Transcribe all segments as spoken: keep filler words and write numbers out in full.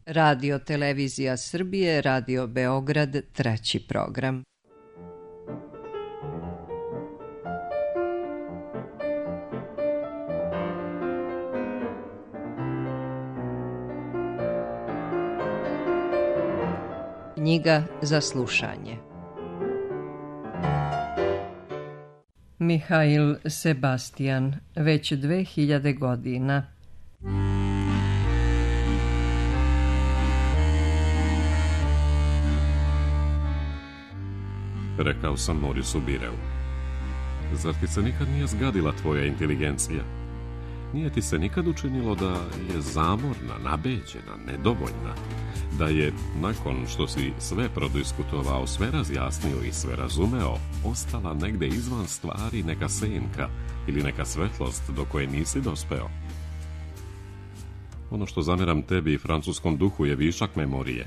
Radio Televizija Srbije, Radio Beograd, treći program. Knjiga za slušanje. Mihail Sebastian, već dve hiljade godina. Rekao sam Morisu Bireu, zar ti se nikad nije zgadila tvoja inteligencija? Nije ti se nikad učinilo da je zamorna, nabeđena, nedovoljna? Da je, nakon što si sve prodiskutovao, sve razjasnio i sve razumeo, ostala negde izvan stvari neka senka ili neka svetlost do koje nisi dospeo? Ono što zameram tebi i francuskom duhu je višak memorije.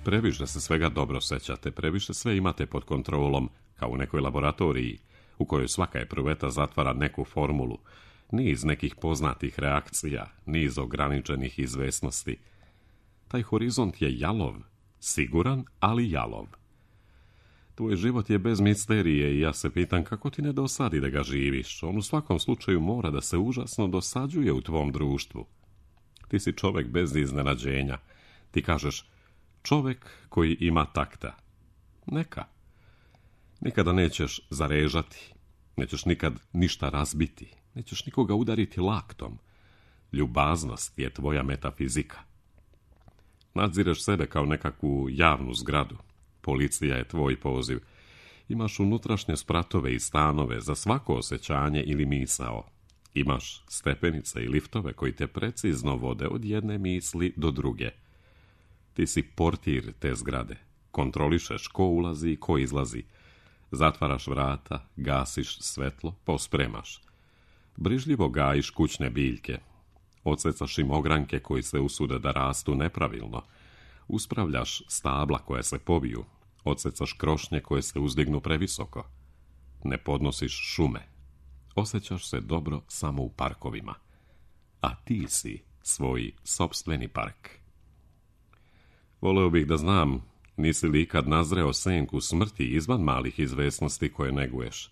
Previše se svega dobro sećate, previše sve imate pod kontrolom, kao u nekoj laboratoriji, u kojoj svaka epruveta zatvara neku formulu, niz nekih poznatih reakcija, niz ograničenih izvesnosti. Taj horizont je jalov, siguran, ali jalov. Tvoj život je bez misterije i ja se pitam kako ti ne dosadi da ga živiš. On u svakom slučaju mora da se užasno dosađuje u tvom društvu. Ti si čovek bez iznenađenja. Ti kažeš, čovek koji ima takta. Neka. Nikada nećeš zarežati, nećeš nikad ništa razbiti, nećeš nikoga udariti laktom. Ljubaznost je tvoja metafizika. Nadzireš sebe kao nekakvu javnu zgradu. Policija je tvoj poziv. Imaš unutrašnje spratove i stanove za svako osjećanje ili misao. Imaš stepenice i liftove koji te precizno vode od jedne misli do druge. Ti si portir te zgrade. Kontrolišeš ko ulazi i ko izlazi. Zatvaraš vrata, gasiš svetlo, pospremaš. Brižljivo gajiš kućne biljke. Odsecaš im ogranke koji se usude da rastu nepravilno. Uspravljaš stabla koje se poviju. Odsecaš krošnje koje se uzdignu previsoko. Ne podnosiš šume. Osjećaš se dobro samo u parkovima. A ti si svoj sopstveni park. Voleo bih da znam, nisi li ikad nazreo senku smrti izvan malih izvesnosti koje neguješ?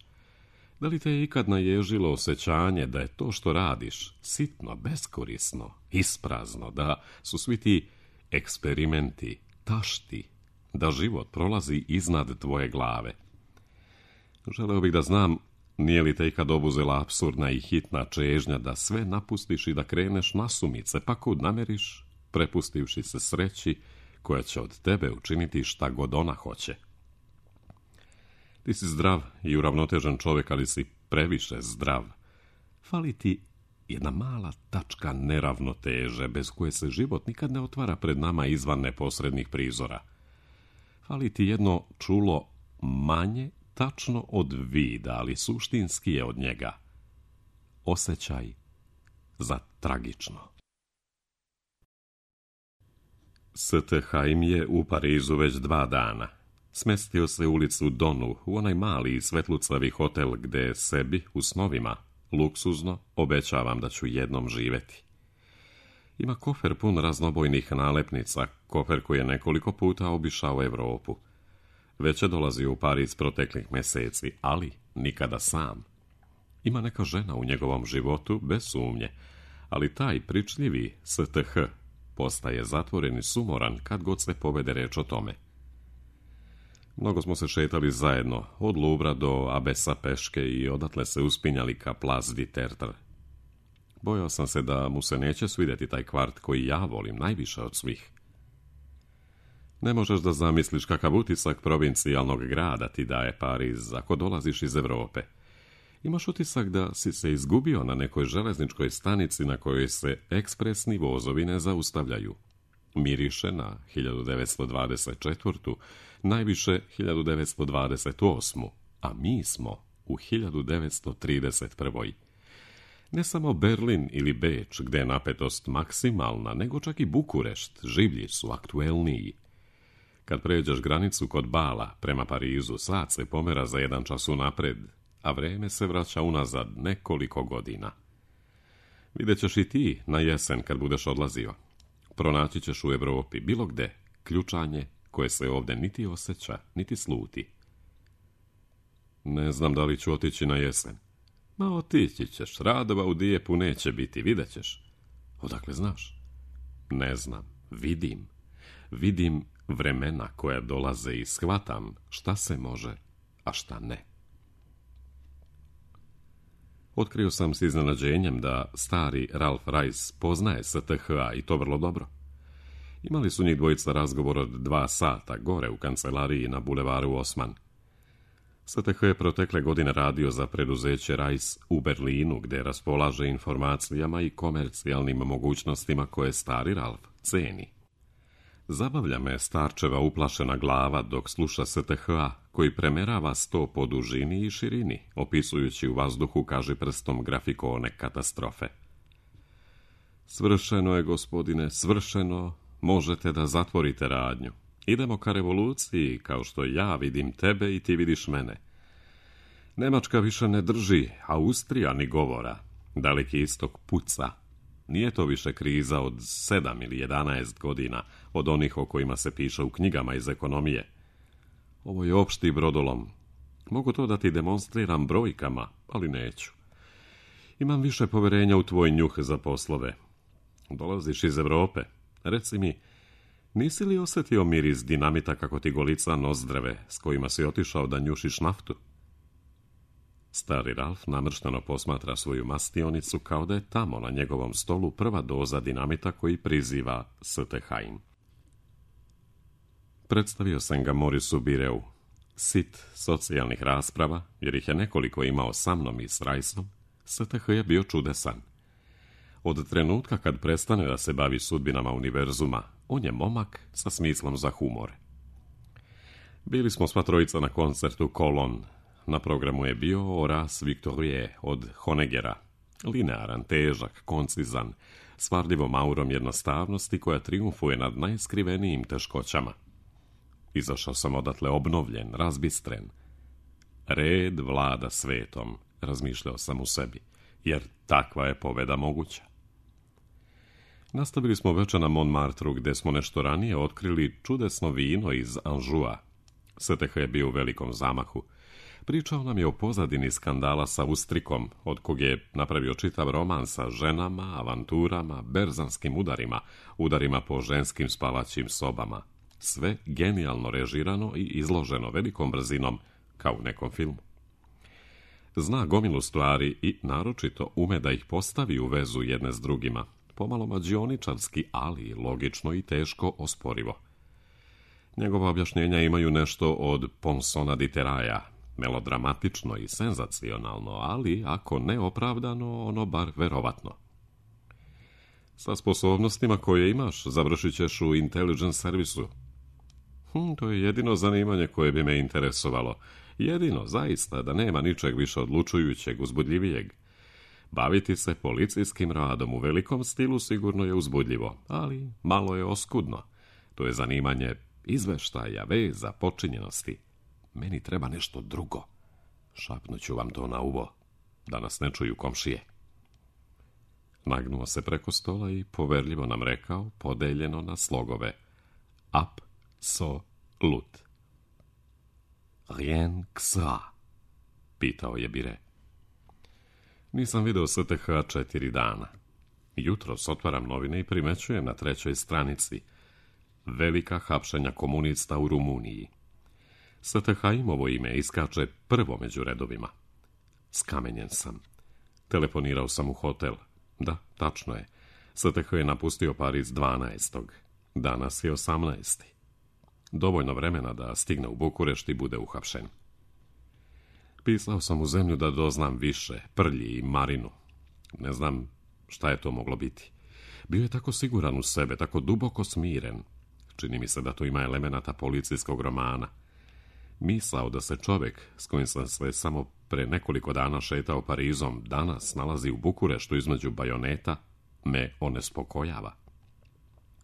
Da li te je ikad naježilo osjećanje da je to što radiš sitno, beskorisno, isprazno, da su svi ti eksperimenti, tašti, da život prolazi iznad tvoje glave? Želeo bih da znam, nije li te ikad obuzela apsurdna i hitna čežnja da sve napustiš i da kreneš nasumice, pa kud nameriš, prepustivši se sreći koja će od tebe učiniti šta god ona hoće? Ti si zdrav i uravnotežen čovjek, ali si previše zdrav. Fali ti jedna mala tačka neravnoteže, bez koje se život nikad ne otvara pred nama izvan neposrednih prizora. Fali ti jedno čulo manje tačno od vida, ali suštinski je od njega. Osjećaj za tragično. S T Haim je u Parizu već dva dana. Smestio se u ulicu Donu, u onaj mali i svetlucavi hotel gde sebi, u snovima, luksuzno, obećavam da ću jednom živeti. Ima kofer pun raznobojnih nalepnica, kofer koji je nekoliko puta obišao Evropu. Već je dolazio u Pariz proteklih meseci, ali nikada sam. Ima neka žena u njegovom životu, bez sumnje, ali taj pričljivi S T H postaje zatvoren i sumoran kad god se povede reč o tome. Mnogo smo se šetali zajedno, od Louvra do Abesa peške i odatle se uspinjali ka Place du Tertre. Bojao sam se da mu se neće svidjeti taj kvart koji ja volim najviše od svih. Ne možeš da zamisliš kakav utisak provincijalnog grada ti daje Pariz ako dolaziš iz Evrope. Imaš utisak da si se izgubio na nekoj železničkoj stanici na kojoj se ekspresni vozovi ne zaustavljaju. Miriše na hiljadu devetsto dvadeset četvrtu, najviše hiljadu devetsto dvadeset osmu, a mi smo u hiljadu devetsto trideset prvoj. Ne samo Berlin ili Beč, gde je napetost maksimalna, nego čak i Bukurešt, življi su, aktuelniji. Kad pređeš granicu kod Bala prema Parizu, sat se pomera za jedan čas unapred, a vreme se vraća unazad nekoliko godina. Vidjet ćeš i ti na jesen kad budeš odlazio. Pronaći ćeš u Europi, bilo gde, ključanje koje se ovdje niti osjeća, niti sluti. Ne znam da li ću otići na jesen. Ma otići ćeš, radova u Dijepu neće biti, vidjet ćeš. Odakle znaš? Ne znam, vidim. Vidim vremena koja dolaze i shvatam šta se može, a šta ne. Otkrio sam s iznenađenjem da stari Ralph Rice poznaje S T H A i to vrlo dobro. Imali su njih dvojica razgovor od dva sata gore u kancelariji na bulevaru Osman. S T H je protekle godine radio za preduzeće Rice u Berlinu, gdje raspolaže informacijama i komercijalnim mogućnostima koje stari Ralph ceni. Zabavlja me starčeva uplašena glava dok sluša S T H A, koji premerava sto po dužini i širini, opisujući u vazduhu kažiprstom grafikone katastrofe. Svršeno je, gospodine, svršeno, možete da zatvorite radnju. Idemo ka revoluciji, kao što ja vidim tebe i ti vidiš mene. Nemačka više ne drži, Austrija ni govora. Daleki istok puca. Nije to više kriza od sedam ili jedanaest godina, od onih o kojima se piše u knjigama iz ekonomije. Ovo je opšti brodolom. Mogu to da ti demonstriram brojkama, ali neću. Imam više poverenja u tvoj njuh za poslove. Dolaziš iz Europe. Reci mi, nisi li osjetio miris dinamita kako ti golica nozdrave s kojima si otišao da njušiš naftu? Stari Ralph namršteno posmatra svoju mastionicu kao da je tamo na njegovom stolu prva doza dinamita koji priziva S T H im. Predstavio sam ga Morisu Bireu, sit socijalnih rasprava, jer ih je nekoliko imao sa mnom i s Rajsom. S T H je bio čudesan. Od trenutka kad prestane da se bavi sudbinama univerzuma, on je momak sa smislom za humor. Bili smo sva trojica na koncertu Colon. Na programu je bio Horace Victorie od Honeggera. Linearan, težak, koncizan, s varljivom aurom jednostavnosti koja triumfuje nad najskrivenijim teškoćama. Izašao sam odatle obnovljen, razbistren. Red vlada svetom, razmišljao sam u sebi, jer takva je pobeda moguća. Nastavili smo večer na Montmartru, gdje smo nešto ranije otkrili čudesno vino iz Anjoua. S T H je bio u velikom zamahu. Pričao nam je o pozadini skandala sa Austrikom, od kog je napravio čitav roman sa ženama, avanturama, berzanskim udarima, udarima po ženskim spavaćim sobama. Sve genijalno režirano i izloženo velikom brzinom, kao u nekom filmu. Zna gomilu stvari i naročito ume da ih postavi u vezu jedne s drugima, pomalo mađioničarski, ali logično i teško osporivo. Njegova objašnjenja imaju nešto od Ponsona di Teraja, melodramatično i senzacionalno, ali ako ne opravdano, ono bar verovatno. Sa sposobnostima koje imaš, završit ćeš u intelligence servisu. Hm, to je jedino zanimanje koje bi me interesovalo. Jedino, zaista, da nema ničeg više odlučujućeg, uzbudljivijeg. Baviti se policijskim radom u velikom stilu sigurno je uzbudljivo, ali malo je oskudno. To je zanimanje izveštaja, veza, počinjenosti. Meni treba nešto drugo. Šapnuću vam to na uvo, da nas ne čuju komšije. Nagnuo se preko stola i poverljivo nam rekao, podeljeno na slogove. Apsolut. Rien que ça, pitao je Bire. Nisam video S T H četiri dana. Jutros otvaram novine i primećujem na trećoj stranici velika hapšenja komunista u Rumuniji. S T H imovo ime iskače prvo među redovima. Skamenjen sam. Telefonirao sam u hotel. Da, tačno je. S T H je napustio Pariz dvanaestog. Danas je osamnaesti. Dovoljno vremena da stigne u Bukurešt i bude uhapšen. Pisao sam u zemlju da doznam više, Prlji i Marinu. Ne znam šta je to moglo biti. Bio je tako siguran u sebe, tako duboko smiren. Čini mi se da to ima elemenata policijskog romana. Misao da se čovjek s kojim sam se samo pre nekoliko dana šetao Parizom danas nalazi u Bukureštu između bajoneta me onespokojava.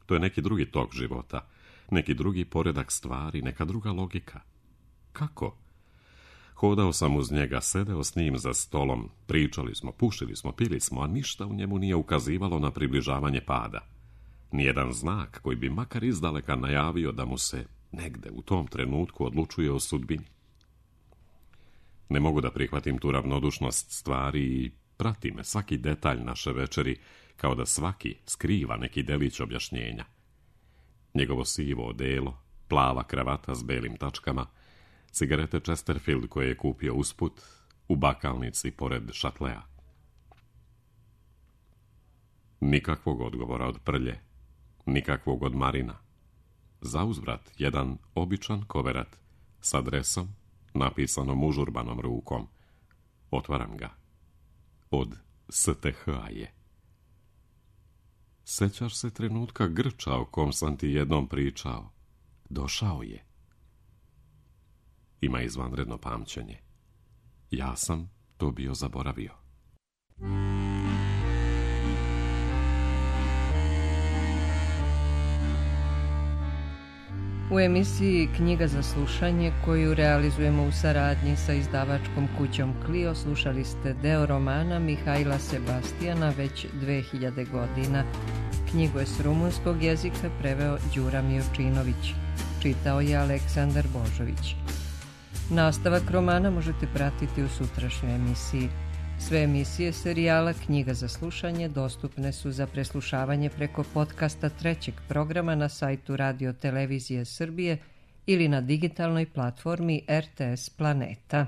To je neki drugi tok života, neki drugi poredak stvari, neka druga logika. Kako? Hodao sam uz njega, sedeo s njim za stolom, pričali smo, pušili smo, pili smo, a ništa u njemu nije ukazivalo na približavanje pada. nijedan znak koji bi makar izdaleka najavio da mu se negde u tom trenutku odlučuje o sudbini. Ne mogu da prihvatim tu ravnodušnost stvari i prati me svaki detalj naše večeri, kao da svaki skriva neki delić objašnjenja. Njegovo sivo odelo, plava kravata s belim tačkama, cigarete Chesterfield koje je kupio usput u bakalnici pored šatlea. Nikakvog odgovora od Prlje, nikakvog od Marina. Zauzvrat jedan običan koverat s adresom, napisanom užurbanom rukom. Otvaram ga. Od S T H je. Sećaš se trenutka grča o kom sam ti jednom pričao? Došao je. Ima izvanredno pamćenje. Ja sam to bio zaboravio. U emisiji Knjiga za slušanje, koju realizujemo u saradnji sa izdavačkom kućom Clio, slušali ste deo romana Mihajla Sebastijana Već dve hiljade godina. Knjigu je s rumunskog jezika preveo Đura Miočinović. Čitao je Aleksandar Božović. Nastavak romana možete pratiti u sutrašnjoj emisiji. Sve emisije serijala Knjiga za slušanje dostupne su za preslušavanje preko podcasta trećeg programa na sajtu Radio Televizije Srbije ili na digitalnoj platformi R T S Planeta.